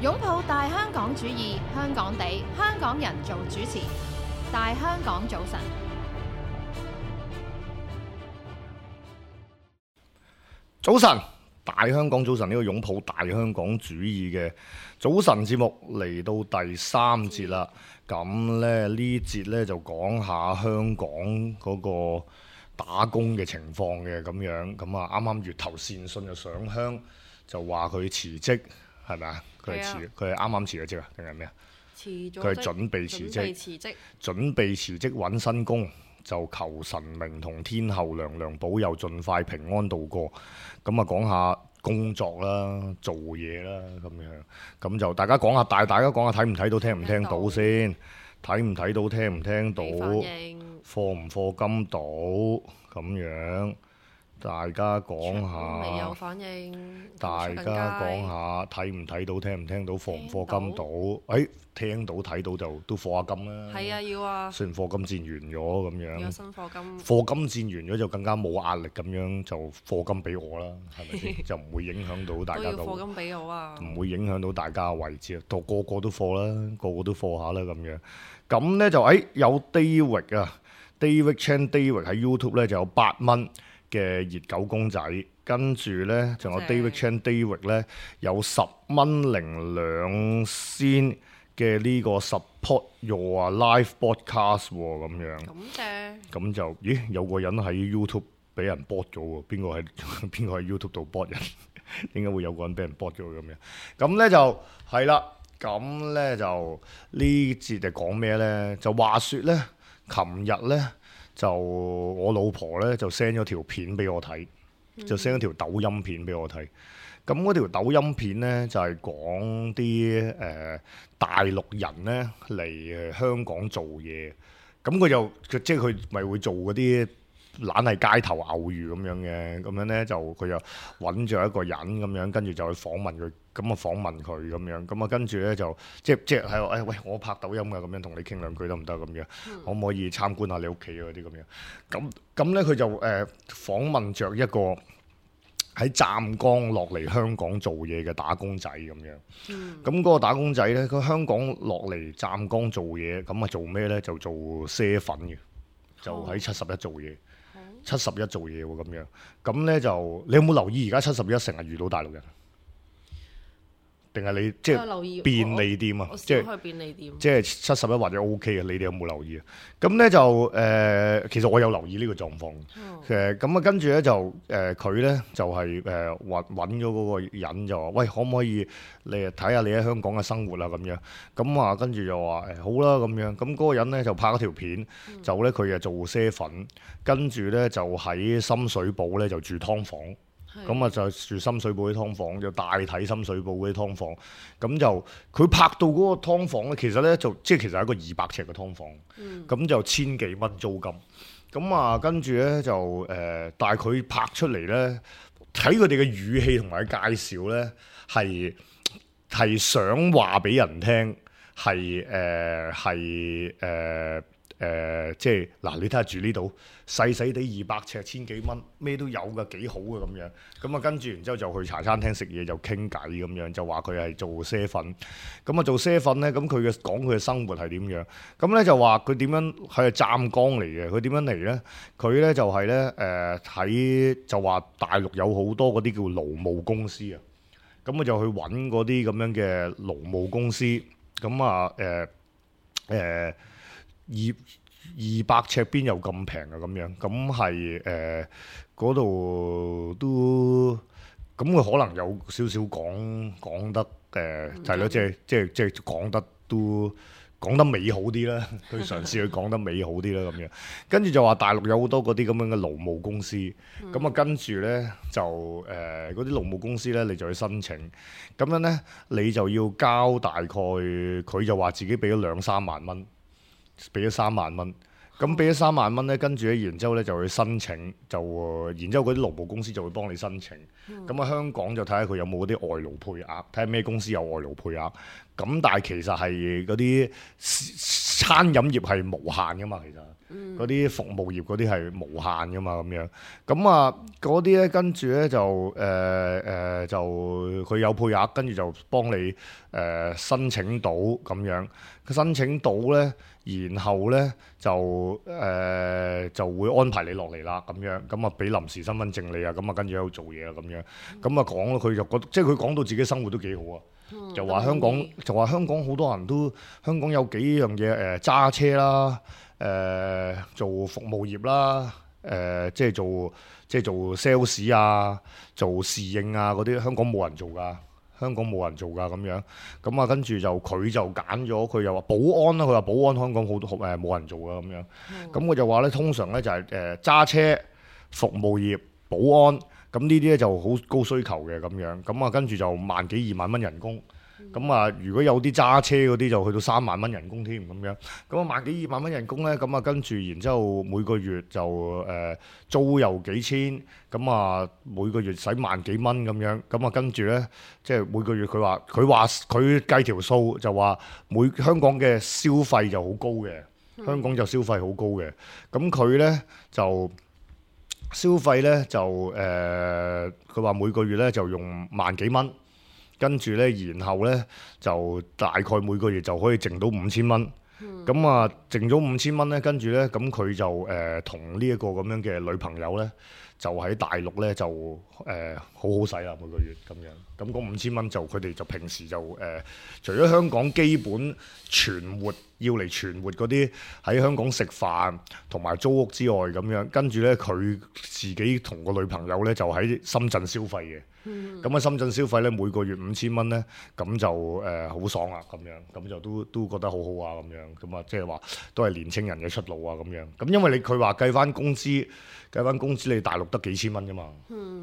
擁抱大香港主義，香港地，香港人做主持。大香港早晨，早晨，大香港早晨，呢個擁抱大香港主義嘅早晨節目嚟到第三節啦。咁咧呢節咧就講下香港嗰個打工嘅情況嘅咁樣。咁啊啱啱月頭善信就上香，就話佢辭職，係咪啊？佢係啱啱辭咗職啊，定係咩啊？辭咗職，佢係準備辭職，準備辭職揾新工，就求神明同天后娘娘保佑，盡快平安度過。咁啊講下工作啦，做嘢啦咁樣。咁就大家講下，大家講下睇唔睇到，聽唔聽到先？睇唔睇到，聽唔聽到？課唔課金到咁樣？大家講下，未有反應。大家講下睇唔睇到，聽唔聽到，課唔課金到？聽到睇到就都課下金啦。係啊，要啊。雖然課金戰完咗咁樣，有新課金。課金戰完咗就更加冇壓力咁樣，就課金俾我啦，係咪先？就唔會影響到大家嘅。都要課金俾我啊！唔會影響到大家嘅位置啊，個個都課啦，個個都課下啦咁樣。咁咧就有 David 啊 ，David Chan David 喺 YouTube 咧就有8蚊嘅熱狗公仔，跟住咧仲有 David Chan David 咧有10蚊零2仙嘅呢個 support your live broadcast 喎咁樣。感謝。咁就有個人喺 YouTube 俾人 bot 咗喎，邊個喺 YouTube 度 bot 人？點解會有個人俾人 bot 咗咁樣？咁咧就係啦，咁咧就呢節就講咩咧？就話說咧，琴日咧。就我老婆咧就 send 咗條片俾我睇，就 send 咗條抖音片俾我睇。咁嗰條抖音片咧就係講啲大陸人咧嚟香港做嘢。咁佢即係佢咪會做嗰啲懶係街頭偶遇咁樣嘅，咁樣咧就佢就揾咗一個人咁樣，跟住就去訪問佢，咁啊訪問佢咁樣，咁啊跟住咧就即係喺度喂，我拍抖音㗎，咁樣同你傾兩句得唔得咁樣？可唔可以參觀下你屋企嗰啲咁樣？咁咧佢就訪問着一個喺湛江落嚟香港做嘢嘅打工仔咁樣。咁嗰個打工仔咧，佢香港落嚟湛江做嘢，咁啊做咩咧？就做賒粉嘅，就喺71做嘢。71做嘢喎咁樣，咁咧就你有冇留意而家71成日遇到大陸人？定係你即係便利店啊？即係便利店，即係71或者 OK 啊？你哋有冇留意啊？咁咧就其實我有留意呢個狀況。咁啊跟住咧就佢咧就係揾咗嗰個人就話：喂，可唔可以你睇下你喺香港嘅生活啊？咁樣咁啊，跟住就話好啦咁樣。咁嗰個人咧就拍咗條片，就咧佢做賒粉，跟住咧就喺深水埗咧就住劏房。咁啊就住深水埗啲劏房，就大體深水埗嗰啲劏房。咁就佢拍到嗰個劏房咧，其實咧就即係其實係一個200尺嘅劏房。咁就1000幾蚊租金。咁啊跟住咧就但係佢拍出嚟咧，睇佢哋嘅語氣同埋介紹咧，係想話俾人聽，即係嗱，你睇下住呢度細細地200尺1000幾蚊，咩都有㗎，幾好嘅咁樣。咁啊跟住然之後就去茶餐廳食嘢，就傾偈咁樣，就話佢係做賒粉。咁啊做賒粉咧，咁佢講佢嘅生活係點樣？咁咧就話佢點樣係湛江嚟嘅？佢點樣嚟咧？佢咧就係咧就話大陸有好多嗰啲叫勞務公司啊。咁佢就去揾嗰啲咁樣嘅勞務公司。咁啊200尺邊有咁平啊？咁樣咁係嗰度都咁佢可能有少少講得係咯，即係講得都講得美好啲啦。佢嘗試去講得美好啲啦咁樣。跟住就話大陸有好多嗰啲咁樣嘅勞務公司。咁啊跟住咧就嗰啲勞務公司咧，你就去申請。咁樣咧你就要交大概，佢就話自己俾咗2-3萬蚊。俾咗3萬蚊，咁俾咗3萬蚊咧，跟住咧，然之後咧就去申請，然之後嗰啲勞務公司就會幫你申請。咁啊，香港就睇下佢有冇嗰啲外勞配額，睇下咩公司有外勞配額。咁但係其實係嗰啲餐飲業係無限噶嘛，其實嗰啲服務業嗰啲係無限噶嘛咁樣。咁啊嗰啲咧跟住咧就就佢有配額，跟住就幫你申請到咁樣。申請到咧，然後咧就會安排你落嚟啦咁樣。咁啊俾臨時身份證你啊，咁啊跟住喺度做嘢啊咁樣。咁啊講佢就覺得，即係佢講到自己生活都幾好啊。就話香港好多人都香港有幾樣嘢揸車啦，做服務業啦，即係做 sales 啊，做侍應啊嗰啲，香港冇人做㗎，咁樣。咁啊跟住就佢就揀咗，佢又話保安啦，佢話保安香港好多冇人做㗎咁樣。咁我就話咧，通常咧就係揸車、服務業、保安。咁呢啲咧就好高需求嘅咁樣，咁啊跟住就萬幾2萬蚊人工，咁啊如果有啲揸車嗰啲就去到3萬蚊人工添咁樣，咁啊萬幾2萬蚊人工咧，咁啊跟住然之後每個月就租又幾千，咁啊每個月使萬幾蚊咁樣，咁啊跟住咧即係每個月佢話佢計條數就話香港嘅消費就好高嘅，香港就消費好高嘅，咁佢咧就。消費咧就佢話每個月咧就用萬幾蚊，跟住咧然後咧就大概每個月就可以剩到5000蚊。咁啊剩咗5000蚊咧，跟住咧咁佢就同呢一個咁樣嘅女朋友咧，就喺大陸咧就好好使啦每個月咁樣。咁嗰5000蚊就佢哋就平時就除咗香港基本存活要嚟存活嗰啲喺香港食飯同埋租屋之外咁樣，跟住咧佢自己同個女朋友咧就喺深圳消費嘅。咁喺深圳消費咧每個月5000蚊咧，咁就好爽啊咁樣，咁就都覺得好好啊咁樣，咁啊即係話都係年青人嘅出路啊咁樣。咁因為佢話計翻工資你大陸得幾千蚊啫嘛，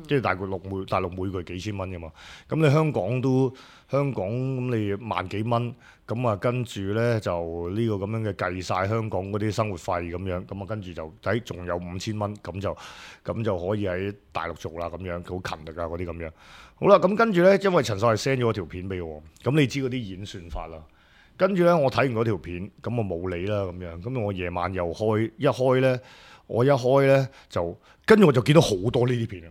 即係大陸每個月幾千蚊啫嘛。咁你香港咁你萬幾蚊，咁啊跟住咧就呢個咁樣嘅計晒香港嗰啲生活費咁樣，咁啊跟住就仲有5000蚊，咁就可以喺大陸做啦咁樣，佢好勤力啊嗰啲咁樣。好啦，咁跟住咧，因為陳秀係 send 咗條片俾我，咁你知嗰啲演算法啦。跟住咧，我睇完嗰條片，咁我冇理啦咁樣。咁我夜晚又一開咧就，跟住我就見到好多呢啲片啊，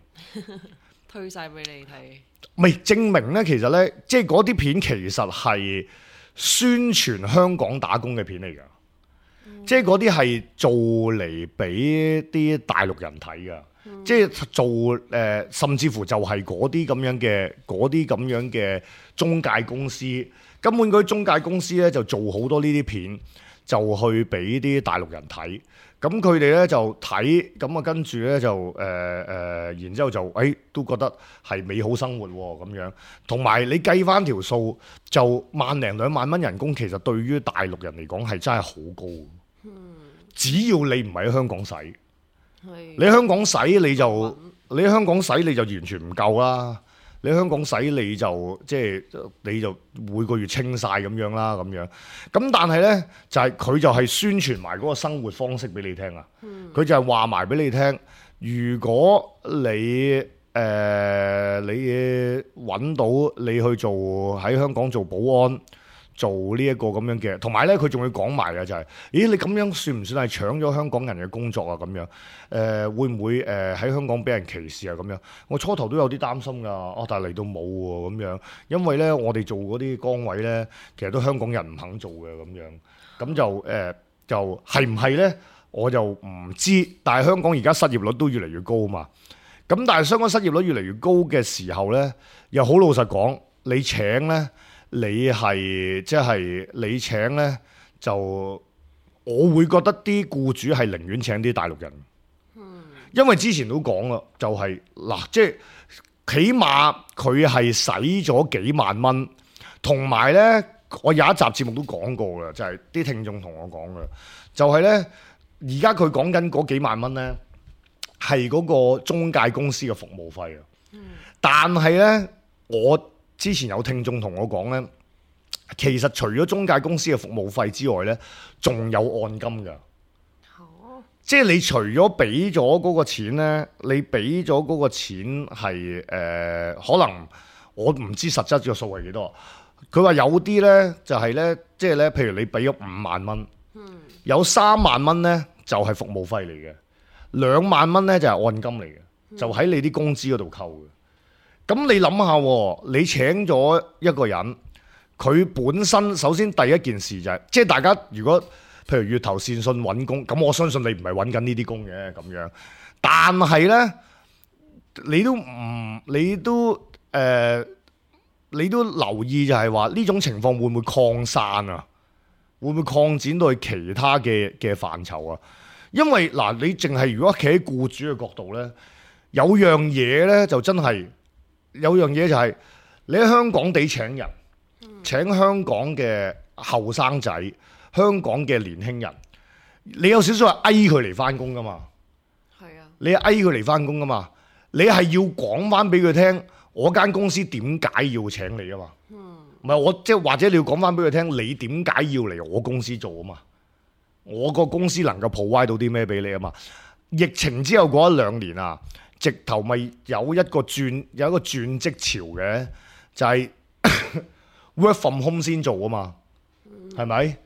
推晒俾你睇。咪證明咧，其實咧，即係嗰啲片其實係宣傳香港打工嘅片嚟㗎，即係嗰啲係做嚟俾啲大陸人睇㗎，即係做甚至乎就係嗰啲咁樣嘅中介公司，根本嗰啲中介公司咧就做好多呢啲片，就去俾啲大陸人睇。咁佢哋咧就睇，咁啊跟住咧就然之後就都覺得係美好生活喎咁樣。同埋你計翻條數，就1零2萬蚊人工，其實對於大陸人嚟講係真係好高。只要你唔係喺香港使，你香港使你就完全唔夠啦。你香港使你就每個月清晒咁樣啦咁樣，咁但係呢，佢就係宣傳埋嗰個生活方式俾你聽啊，佢就係話埋俾你聽，如果你揾到你去做喺香港做保安。做呢一個咁樣嘅，同埋咧佢仲要講埋嘅就係，咦你咁樣算唔算係搶咗香港人嘅工作啊？咁樣會唔會喺香港俾人歧視啊？咁樣我初頭都有啲擔心㗎，但係嚟到冇喎咁樣，因為咧我哋做嗰啲崗位咧，其實都香港人唔肯做嘅咁樣，咁就係唔係咧？我就唔知，但係香港而家失業率都越嚟越高嘛，咁但係香港失業率越嚟越高嘅時候咧，又好老實講，你請咧。你請呢，就我會覺得啲僱主係寧願請啲大陸人，因為之前都講啦，就係即係起碼佢係使咗幾萬蚊，同埋呢，我有一集節目都講過嘅，就係啲聽眾同我講嘅，就係呢，而家佢講緊嗰幾萬蚊呢，係嗰個中介公司嘅服務費啊，但係呢，我之前有聽眾同我講呢，其實除咗中介公司嘅服務費之外呢，仲有按金㗎。即係你除咗俾咗嗰個錢呢，你俾咗嗰個錢係可能我唔知實質嘅數係幾多。佢話有啲呢，就係呢，即係呢，譬如你俾咗5萬蚊，有3萬蚊呢，就係服務費嚟嘅，2萬蚊咧就係按金嚟嘅，就喺你啲工資嗰度扣嘅。咁你諗下，你請咗一個人，佢本身首先第一件事就係，即係大家如果譬如月頭善信揾工，咁我相信你唔係揾緊呢啲工嘅咁樣，但係咧你都留意就係話呢種情況會唔會擴散啊？會唔會擴展到去其他嘅範疇啊？因為嗱，你淨係如果企喺僱主嘅角度咧，有樣嘢咧就真係有樣嘢就係你喺香港地請人，請香港嘅後生仔、香港嘅年輕人，你有少少係嗌佢嚟翻工噶嘛？係啊，你係嗌佢嚟翻工噶嘛？你係要講翻俾佢聽，我間公司點解要請你啊嘛？唔係我即係或者你要講翻俾佢聽，你點解要嚟我公司做啊嘛？我個公司能夠 provide 到啲咩俾你啊嘛？疫情之後嗰1-2年啊，直頭咪有一個轉職潮嘅，就係 work from home 先做啊嘛，係咪？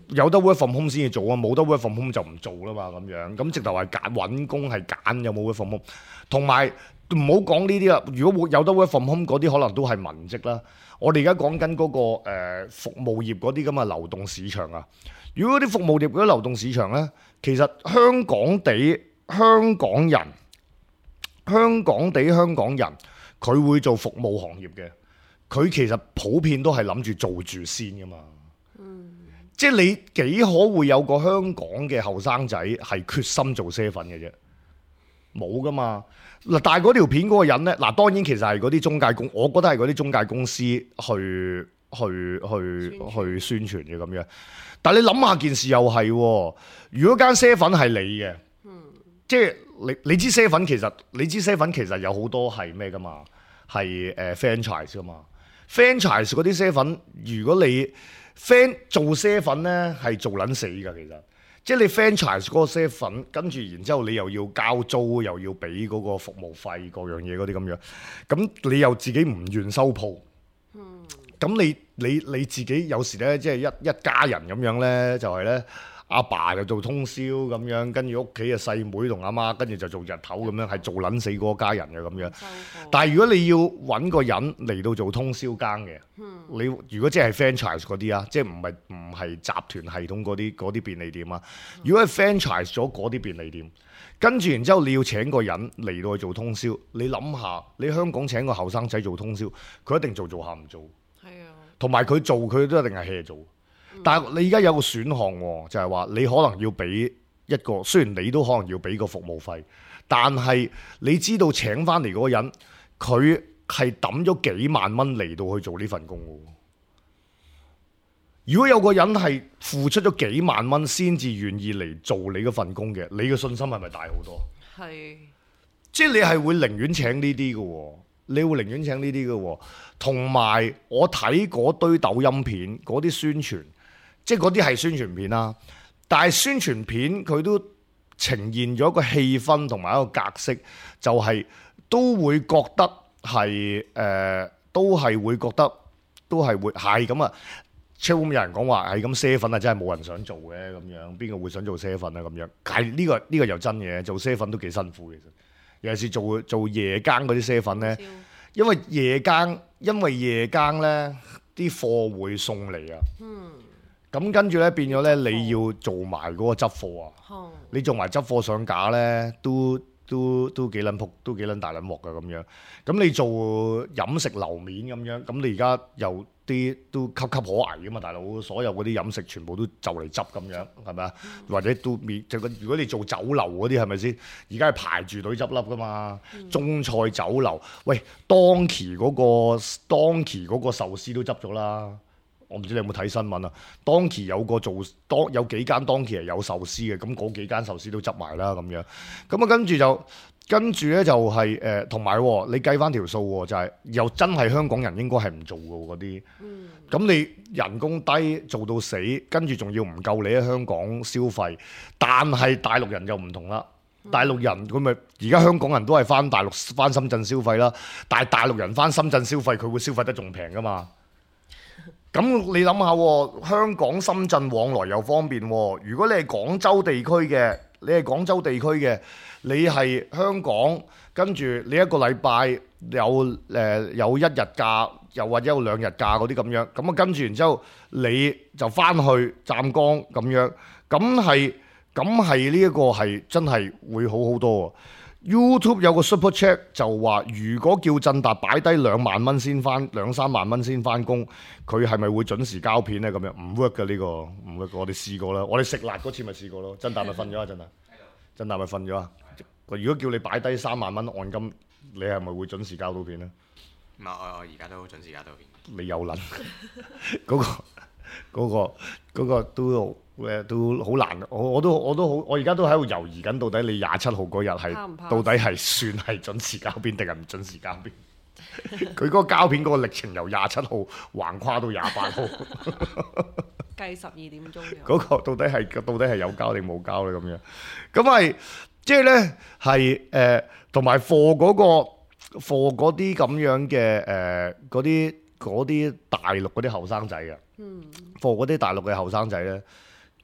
有得 work from home 先至做啊，冇得 work from home 就唔做啦嘛，咁樣咁直頭係揀揾工係揀有冇 work from home，同埋唔好講呢啲啦。如果有得 work from home 嗰啲，可能都係文職啦。我哋而家講緊嗰個服務業嗰啲咁嘅流動市場啊。如果啲服務業嗰啲流動市場咧，其實香港人佢會做服務行業嘅，佢其實普遍都係諗住做住先噶嘛。即係你幾可會有個香港嘅後生仔係決心做啡粉嘅啫？冇噶嘛。嗱，但係嗰條片嗰個人咧，嗱當然其實係嗰啲中介公，我覺得係嗰啲中介公司去宣傳嘅咁樣。但係你諗下件事又係，如果間啡粉係你嘅，即係你知啡粉其實有好多係咩噶嘛？係franchise 噶嘛？franchise 嗰啲啡粉，如果你做啡粉咧係做撚死㗎，其實。即係你 franchise 嗰個啡粉，跟住然之後你又要交租，又要俾嗰個服務費，各樣嘢嗰啲咁樣，咁你又自己唔願收鋪，咁你自己有時咧，即係一家人咁樣咧，就係咧阿爸就做通宵咁樣，跟住屋企嘅細妹同阿媽跟住就做日頭咁樣，係做撚死嗰家人嘅咁樣。但係如果你要揾個人嚟到做通宵更嘅，你如果即係 franchise 嗰啲啊，即係唔係集團系統嗰啲便利店啊，如果係 franchise 咗嗰啲便利店，跟住然之後你要請個人嚟到去做通宵，你諗下，你香港請個後生仔做通宵，佢一定做下唔做，係啊，同埋佢做佢都一定係 hea 做。但係你而家有個選項喎，就係話你可能要俾一個，雖然你都可能要俾個服務費，但係你知道請翻嚟嗰個人，佢係抌咗幾萬蚊嚟到去做呢份工嘅。如果有個人係付出咗幾萬蚊先至願意嚟做你嗰份工嘅，你嘅信心係咪大好多？係，即係你係會寧願請呢啲嘅喎。你會寧願請呢啲嘅喎，同埋我睇嗰堆抖音片嗰啲宣傳，即係嗰啲係宣傳片啦。但係宣傳片佢都呈現咗一個氣氛同埋一個格式，就係都會覺得係都係會係咁啊。超有人講話係咁啡粉啊，真係冇人想做嘅咁樣，邊個會想做啡粉啊咁樣？係呢個又真嘅，做啡粉都幾辛苦其實。尤其是做夜更嗰啲啡粉咧，因為夜更咧啲貨會送嚟啊。咁跟住咧變咗咧，你要做埋嗰個執貨啊。你做埋執貨上架咧，都幾撚仆，都幾撚大撚鑊㗎咁樣。咁你做飲食樓面咁樣，咁你而家又啲都岌岌可危㗎嘛，大佬！所有嗰啲飲食全部都就嚟執咁樣，係咪啊？或者都如果你做酒樓嗰啲係咪先？而家係排住隊執笠㗎嘛。中菜酒樓，喂，當期嗰個壽司都執咗啦。我唔知你有冇睇新聞啊？當期有幾間當期係有壽司嘅，咁嗰幾間壽司都執埋啦咁樣。咁啊跟住咧就係同埋你計翻條數喎，就係又真係香港人應該係唔做嘅嗰啲。咁你人工低做到死，跟住仲要唔夠你喺香港消費，但係大陸人就唔同啦。大陸人佢咪而家香港人都係翻大陸翻深圳消費啦，但係大陸人翻深圳消費，佢會消費得仲平噶嘛？咁你諗下，香港深圳往來又方便喎。如果你係廣州地區嘅，你係香港，跟住你一個禮拜有一日假，又或者有2日假嗰啲咁樣，咁啊跟住然之後你就翻去湛江咁樣，咁係呢一個係真係會好好多喎。YouTube 有個 Super Chat 就話，如果叫振達擺低2萬蚊先翻2-3萬蚊先翻工，佢係咪會準時交片呢？咁樣唔 work 嘅呢個，唔 work。我哋試過啦，我哋食辣嗰次咪試過咯。振達咪瞓咗啊！振達咪瞓咗啊！如果叫你擺低3萬蚊按金，你係咪會準時交到片呢？唔係，我而家都準時交到片。你有撚嗰個都好難，我而家都喺度猶豫緊，到底你27號嗰日係到底係算係準時交片定係唔準時交片？佢嗰個交片嗰個歷程由27號橫跨到28號，計12點鐘。嗰個到底係有交定冇交咧？咁樣咁係即係咧係同埋貨嗰啲咁樣嘅嗰啲大陸嗰啲後生仔啊，貨嗰啲大陸嘅後生仔咧，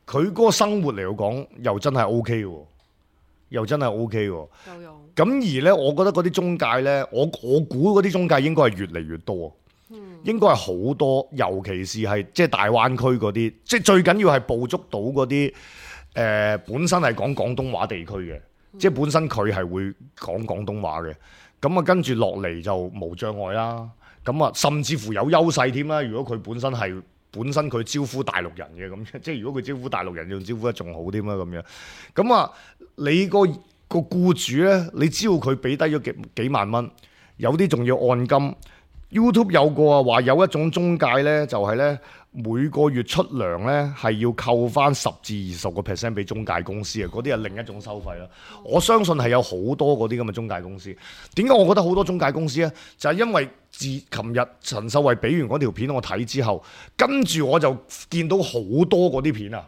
佢嗰個生活嚟講又真係 O K 喎，夠用。咁而咧，我覺得嗰啲中介咧，我估嗰啲中介應該係越嚟越多，應該係好多，尤其是係即係大灣區嗰啲，即係最緊要係捕捉到嗰啲本身係講廣東話地區嘅，即係本身佢係會講廣東話嘅，咁啊跟住落嚟就無障礙啦。咁啊，甚至乎有優勢添啦。如果佢本身佢招呼大陸人嘅咁，即係如果佢招呼大陸人，仲招呼得仲好添啦咁樣。咁啊，你個僱主咧，你知道佢俾低咗幾萬蚊，有啲仲要按金。YouTube 有個啊話有一種中介咧，就係咧每個月出糧咧係要扣翻10至20% 俾中介公司啊，嗰啲係另一種收費啦。我相信係有好多嗰啲咁嘅中介公司。點解我覺得好多中介公司咧？就係因為自琴日陳秀慧俾完嗰條片我睇之後，跟住我就見到好多嗰啲片啊。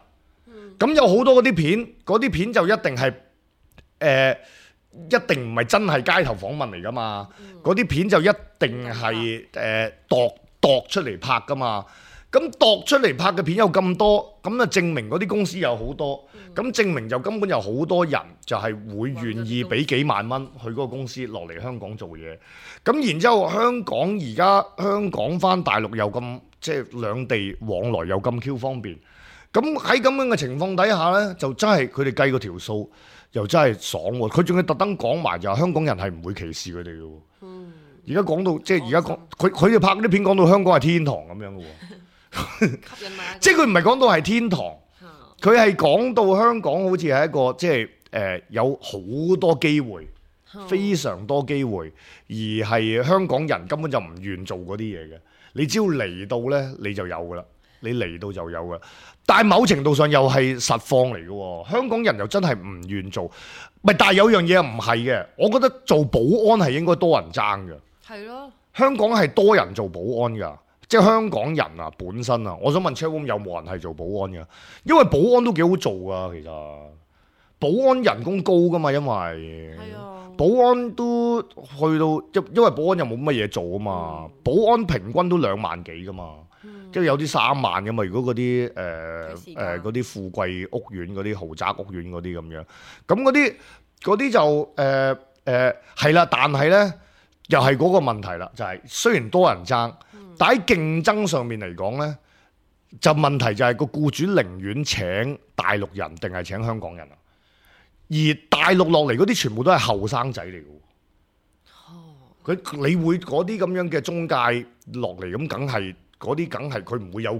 咁有好多嗰啲片就一定係一定唔係真係街頭訪問嚟噶嘛，嗰啲片就一定係度出嚟拍噶嘛。咁度出嚟拍嘅片有咁多，咁啊證明嗰啲公司有好多，咁證明就根本有好多人就係會願意俾幾萬蚊去嗰個公司落嚟香港做嘢。咁然之後香港翻大陸又咁即係兩地往來又咁 Q 方便。咁喺咁樣嘅情況底下呢，就真係佢哋計個條數又真係爽喎。佢仲要特登講埋就係香港人係唔會歧視佢哋嘅喎。而家講到即係而家講佢哋拍嗰啲片講到香港係天堂咁樣嘅喎。即係佢唔係講到係天堂，佢係講到香港好似係一個即係有好多機會，非常多機會，而係香港人根本就唔願做嗰啲嘢嘅。你只要嚟到呢，你就有噶啦，你嚟到就有噶。但係某程度上又係實況嚟嘅喎，香港人又真係唔願做。但係有樣嘢唔係嘅，我覺得做保安係應該多人爭嘅。係咯，香港係多人做保安㗎。即係香港人啊，本身啊，我想問 Chatroom 有冇人係做保安嘅？因為保安都幾好做啊，其實保安人工高噶嘛，因為保安都去到因為保安又冇乜嘢做啊嘛，保安平均都2萬幾噶嘛，即係有啲3萬噶嘛。如果嗰啲嗰啲富貴屋苑嗰啲豪宅屋苑嗰啲咁樣，咁嗰啲就係啦，但係咧又係嗰個問題啦，就係雖然多人爭。但喺競爭上面嚟講呢，就問題就係個僱主寧願請大陸人定係請香港人啊？而大陸落嚟嗰啲全部都係後生仔嚟嘅。你會嗰啲咁樣嘅中介落嚟咁，梗係佢唔會有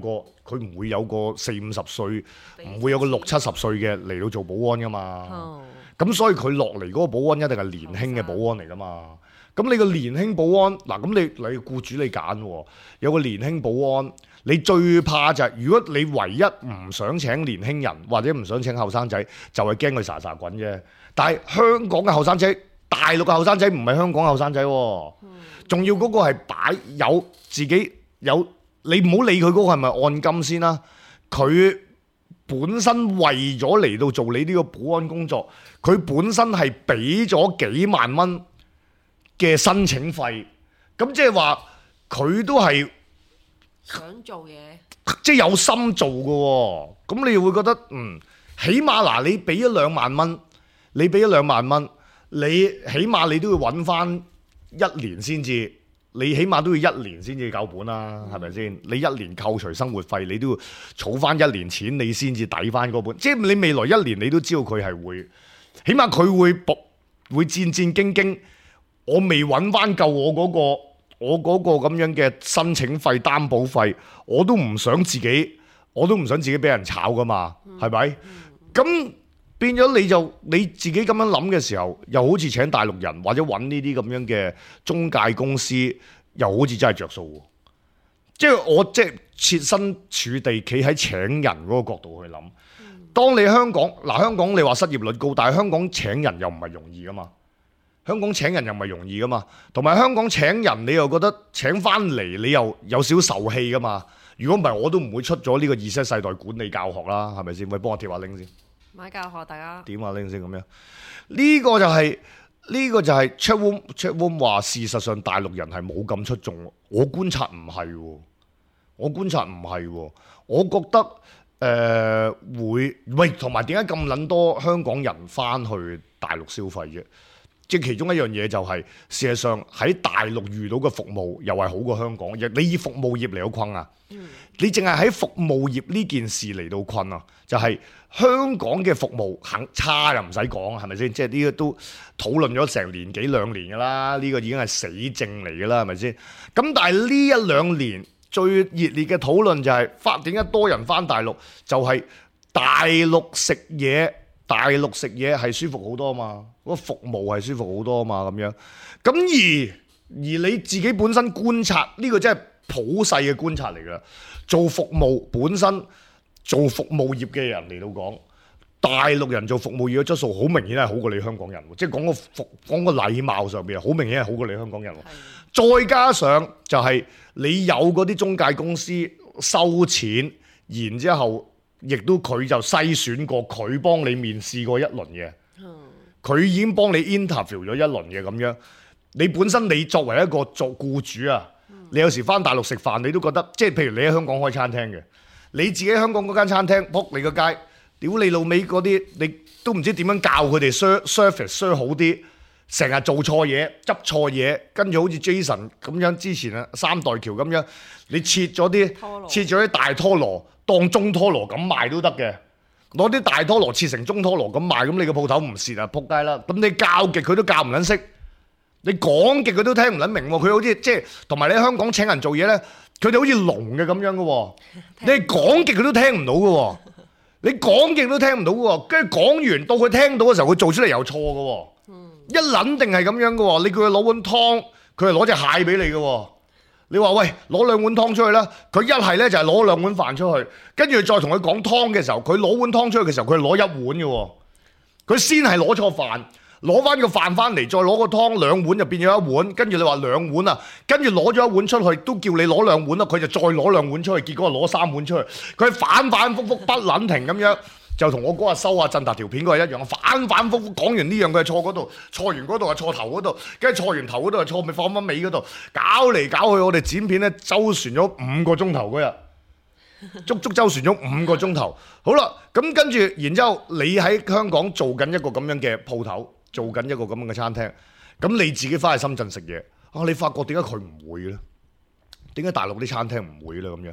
個40-50歲，唔會有個60-70歲嘅嚟到做保安噶嘛。咁所以佢落嚟嗰個保安一定係年輕嘅保安嚟噶嘛。咁你個年輕保安嗱，咁你僱主你揀喎，有個年輕保安，你最怕就係如果你唯一唔想請年輕人或者唔想請後生仔，就係驚佢沙沙滾啫。但係香港嘅後生仔，大陸嘅後生仔唔係香港後生仔喎，仲要嗰個係有自己有，你唔好理佢嗰個係咪按金先啦。佢本身為咗嚟到做你呢個保安工作，佢本身係俾咗幾萬蚊嘅申請費，咁即係話佢都係想做嘢，即係有心做嘅喎。咁你會覺得起碼嗱，你俾咗2萬蚊，你俾咗2萬蚊，你起碼你都要揾翻1年先至，你起碼都要1年先至夠本啦，係咪先？你1年扣除生活費，你都要儲翻1年錢，你先至抵翻嗰本。即係你未來1年，你都知道佢係會，起碼佢會戰戰兢兢。我未揾翻夠我嗰個咁樣嘅申請費、擔保費，我都唔想自己俾人炒噶嘛，係咪？咁變咗你自己咁樣諗嘅時候，又好似請大陸人或者揾呢啲咁樣嘅中介公司，又好似真係着數喎。即係我即係設身處地企喺請人嗰個角度去諗。當你香港你話失業率高，但係香港請人又唔係容易噶嘛。香港請人又唔係容易噶嘛，同埋香港請人你又覺得請翻嚟你又有少受氣噶嘛。如果唔係我都唔會出咗呢個Z世代管理教學啦，係咪先？喂，幫我貼下 link 先。買教學大家點下 link 先咁樣。呢個就係 Chatroom 話，事實上大陸人係冇咁出眾。我觀察唔係喎，我覺得會喂，同埋點解咁撚多香港人翻去大陸消費啫？即係其中一樣嘢就係，事實上喺大陸遇到嘅服務又係好過香港。你以服務業嚟到困啊，你淨係喺服務業呢件事嚟到困啊，就係香港嘅服務肯差又唔使講，係咪先？即係呢個都討論咗成年幾2年㗎啦，呢個已經係死症嚟㗎啦，係咪先？咁但係呢1-2年最熱烈嘅討論就係點解多人翻大陸，就係大陸食嘢係舒服好多嘛，嗰個服務係舒服好多嘛，咁樣。咁而你自己本身觀察呢個真係普世嘅觀察嚟㗎。做服務本身做服務業嘅人嚟到講，大陸人做服務業嘅質素好明顯係好過你香港人，即係講個禮貌上邊好明顯係好過你香港人。再加上就係你有嗰啲中介公司收錢，然之後。亦都佢就篩選過，佢幫你面試過一輪嘅，佢已經幫你 interview 咗一輪嘅咁樣。你本身你作為一個做僱主啊，你有時翻大陸食飯，你都覺得即係譬如你喺香港開餐廳嘅，你自己喺香港嗰間餐廳仆你個街，屌你老味嗰啲，你都唔知點樣教佢哋 service 好啲，成日做錯嘢、執錯嘢，跟住好似 Jason 咁樣之前啊三代橋咁樣，你切咗啲大拖羅。當中拖羅咁賣都得嘅，攞啲大拖羅切成中拖羅咁賣，咁你個鋪頭唔蝕啊，仆街啦！咁你教極佢都教唔撚識，你講極佢都聽唔撚明喎。佢好似即係同埋你喺香港請人做嘢咧，佢哋好似聾嘅咁樣嘅喎。你講極佢都聽唔到嘅喎，你講極都聽唔到嘅喎。跟住講完到佢聽到嘅時候，佢做出嚟又錯嘅喎。一撚定係咁樣嘅喎。你叫佢攞碗湯，佢係攞隻蟹俾你嘅喎。你話喂，攞2碗湯出去啦，佢一係咧就係攞2碗飯出去，跟住再同佢講湯嘅時候，佢攞碗湯出去嘅時候，佢係攞1碗嘅喎。佢先係攞錯飯，攞翻個飯翻嚟，再攞個湯2碗就變咗1碗，跟住你話2碗啊，跟住攞咗1碗出去，都叫你攞2碗啦，佢就再攞2碗出去，結果攞3碗出去，佢反反覆覆不撚停咁樣。就同我嗰日收阿振達條片嗰係一樣，反反覆覆講完呢樣佢係錯嗰度，錯完嗰度係錯頭嗰度，跟住錯完頭嗰度係錯，咪放翻尾嗰度，搞嚟搞去，我哋剪片咧周旋咗5個鐘頭嗰日，足周旋咗5個鐘頭。好啦，咁跟住，然之後你喺香港做緊一個咁樣嘅鋪頭，做緊一個咁樣嘅餐廳，咁你自己翻去深圳食嘢，你發覺點解佢唔會咧？點解大陸啲餐廳唔會咧？咁樣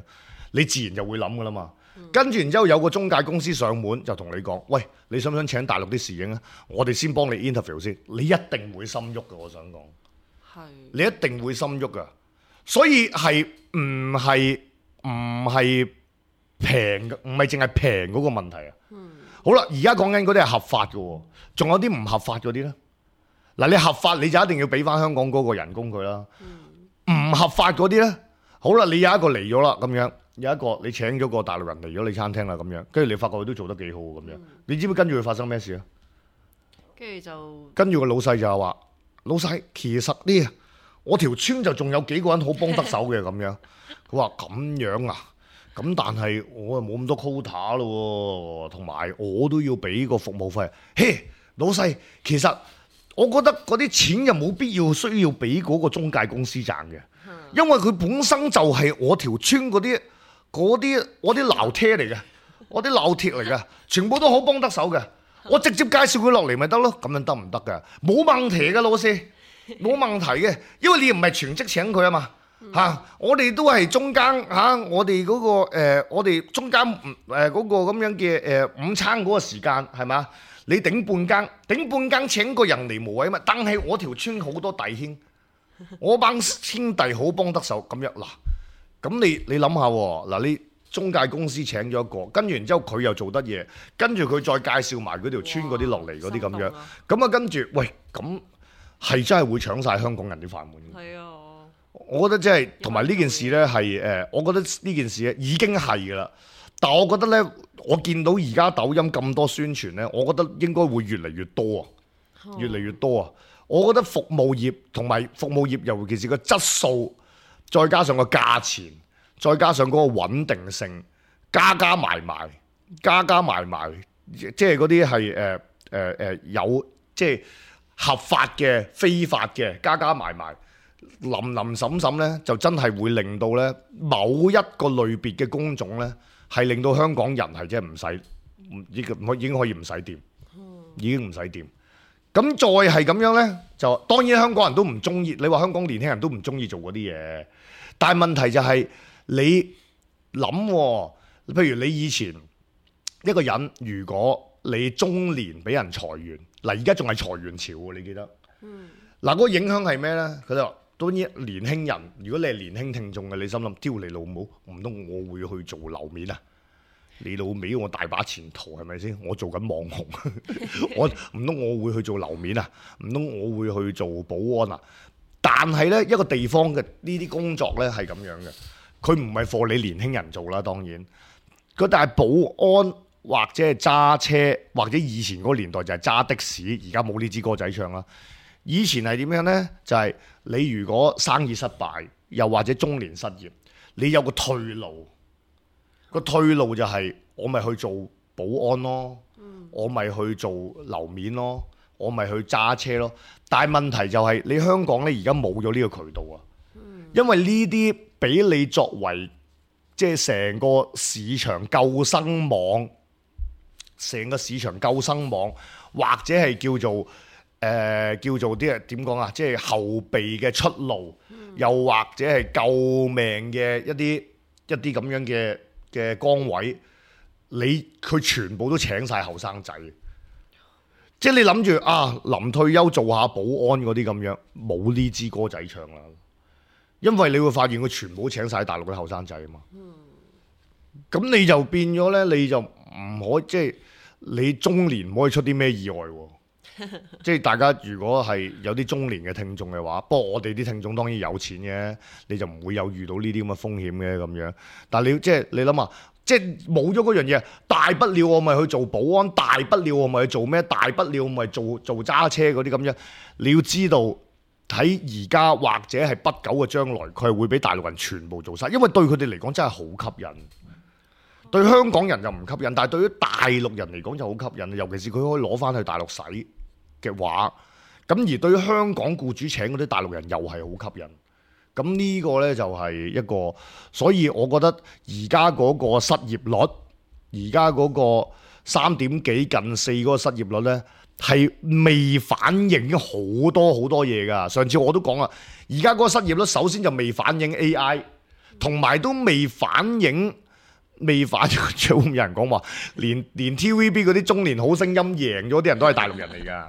你自然就會諗噶啦嘛。跟住然之後有個中介公司上門就同你講，喂，你想唔想請大陸啲侍應啊？我哋先幫你 interview 先，你一定會心喐嘅。我想講，你一定會心喐噶。所以係唔係平嘅，唔係淨係平嗰個問題啊。好啦，而家講緊嗰啲係合法嘅，仲有啲唔合法嗰啲咧。嗱，你合法你就一定要俾翻香港嗰個人工佢啦。唔合法嗰啲咧，好啦，你有一個嚟咗啦，咁樣。有一個你請咗個大陸人嚟咗你餐廳啦，咁樣，跟住你發覺佢都做得幾好咁樣，你知唔知跟住佢發生咩事啊？跟住個老細就話：老細，其實呢，我條村就仲有幾個人好幫得手嘅咁樣。佢話咁樣啊，咁但係我又冇咁多 quota 咯，同埋我都要俾個服務費。嘿，老細，其實我覺得嗰啲錢又冇必要需要俾嗰個中介公司賺嘅。因為佢本身就係我條村嗰啲我啲鬧車嚟嘅，我啲鬧鐵嚟嘅，全部都好幫得手嘅。我直接介紹佢落嚟咪得咯，咁樣得唔得㗎？冇問題嘅，老師，冇問題嘅，因為你唔係全職請佢啊嘛。我哋都係中間我哋嗰個我哋中間嗰個咁樣嘅午餐嗰個時間係嘛？你頂半更請個人嚟無謂啊嘛。但係我條村好多弟兄，我班兄弟好幫得手咁樣嗱。咁你諗下嗱，你中介公司請咗一個，跟住然之後佢又做得嘢，跟住佢再介紹埋嗰條村嗰啲落嚟嗰啲咁樣，咁啊跟住喂，咁係真係會搶晒香港人啲飯碗。係啊。我覺得真係同埋呢件事呢係我覺得呢件事已經係㗎啦。但我覺得呢，我見到而家抖音咁多宣傳呢，我覺得應該會越嚟越多啊，越嚟越多啊。我覺得服務業同埋服務業，尤其是個質素，再加上個價錢，再加上嗰個穩定性，加埋埋，即係嗰啲係有即係合法嘅、非法嘅，加埋埋。林審審咧，就真係會令到咧某一個類別嘅工種咧，係令到香港人係真係唔使，已經可以唔使掂，已經唔使掂。咁再係咁樣咧，就當然香港人都唔中意。你話香港年輕人都唔中意做嗰啲嘢，但係問題就係你諗，譬如你以前一個人，如果你中年俾人裁員，嗱而家仲係裁員潮喎，你記得？嗱，嗰個影響係咩咧？佢就話。當然年輕人，如果你係年輕聽眾嘅，你心諗屌你老母，唔通我會去做樓面啊？你老味我大把前途係咪先？我做緊網紅，我唔通我會去做樓面啊？唔通我會去做保安啊？但係呢一個地方嘅呢啲工作呢係咁樣嘅，佢唔係畀你年輕人做啦，當然。但係保安或者係揸車，或者以前嗰個年代就係揸的士，而家冇呢支歌仔唱啦。以前係點樣呢？就係你如果生意失敗，又或者中年失業，你有個退路。個退路就係我咪去做保安咯，我咪去做樓面咯，我咪去揸車咯。但係問題就係你香港呢而家冇咗呢個渠道啊，因為呢啲俾你作為即係成個市場救生網，成個市場救生網，或者係叫做啲人點講啊？即係後備嘅出路，又或者係救命嘅一啲咁樣嘅崗位，佢全部都請晒後生仔。即係你諗住啊，臨退休做下保安嗰啲咁樣，冇呢支歌仔唱啦。因為你會發現佢全部都請晒大陸嘅後生仔啊嘛。咁你就變咗呢，你就唔可以即係你中年唔可以出啲咩意外喎。即係大家如果係有啲中年嘅聽眾嘅話，不過我哋啲聽眾當然有錢嘅，你就唔會有遇到呢啲咁嘅風險嘅咁樣。但係你諗下，即係冇咗嗰樣嘢，大不了我咪去做保安，大不了我咪去做咩，大不了我咪做揸車嗰啲咁樣。你要知道喺而家或者係不久嘅將來，佢係會俾大陸人全部做晒，因為對佢哋嚟講真係好吸引。對香港人就唔吸引，但係對於大陸人嚟講就好吸引，尤其是佢可以攞翻去大陸使嘅話，咁而對於香港僱主請嗰啲大陸人又係好吸引。咁呢個呢，就係一個，所以我覺得而家嗰個失業率，而家嗰個3點幾近4嗰個失業率呢，係未反映好多嘢㗎。上次我都講啦，而家嗰個失業率首先就未反映 AI， 同埋都未反映。仲有人講話，連 TVB 嗰啲中年好聲音贏咗啲人都係大陸人嚟㗎，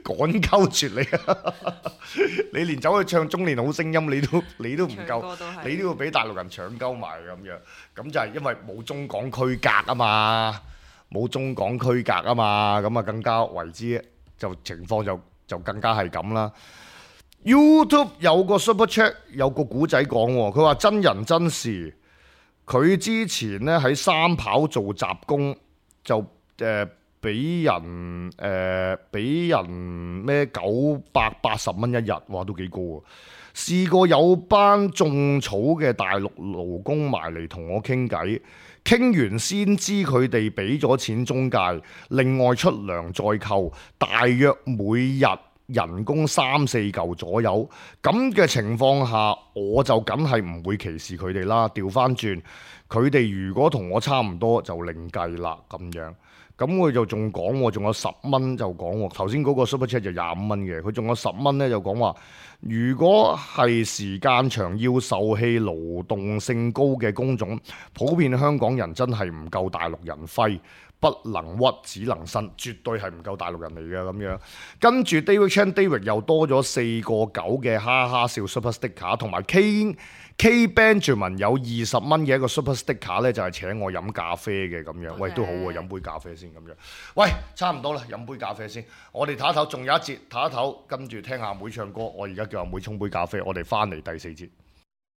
趕鳩絕你啊！你連走去唱中年好聲音，你都唔夠，你都要俾大陸人搶鳩埋咁樣。咁就係因為冇中港區隔啊嘛，冇中港區隔啊嘛，咁啊更加為之就情況就更加係咁啦。YouTube 有個 Super Chat 有個古仔講喎，佢話真人真事，佢之前咧喺三跑做雜工，就俾人咩980蚊一日，哇都幾高啊！試過有班種草嘅大陸勞工埋嚟同我傾偈，傾完先知佢哋俾咗錢中介，另外出糧再扣，大約每日人工3-4嚿左右，咁嘅情況下，我就梗係唔會歧視佢哋啦。調翻轉，佢哋如果同我差唔多，就另計啦咁樣。咁佢就仲講喎，仲有10蚊就講喎。頭先嗰個 Super Chat 就25蚊嘅，佢仲有10蚊咧就講話，如果係時間長要受氣勞動性高嘅工種，普遍香港人真係唔夠大陸人揮。不能屈，只能伸，絕對係唔夠大陸人嚟嘅咁樣。跟住 David Chan 又多咗4.9嘅哈哈笑 Super Sticker， 同埋 K Benjamin 有20蚊嘅一個 Super Sticker 咧，就係請我飲咖啡嘅咁樣。喂，都好喎，飲杯咖啡先咁樣。喂，差唔多啦，飲杯咖啡先。我哋唞一唞，仲有一節唞一唞，跟住聽阿妹唱歌。我而家叫阿妹沖杯咖啡，我哋翻嚟第4節。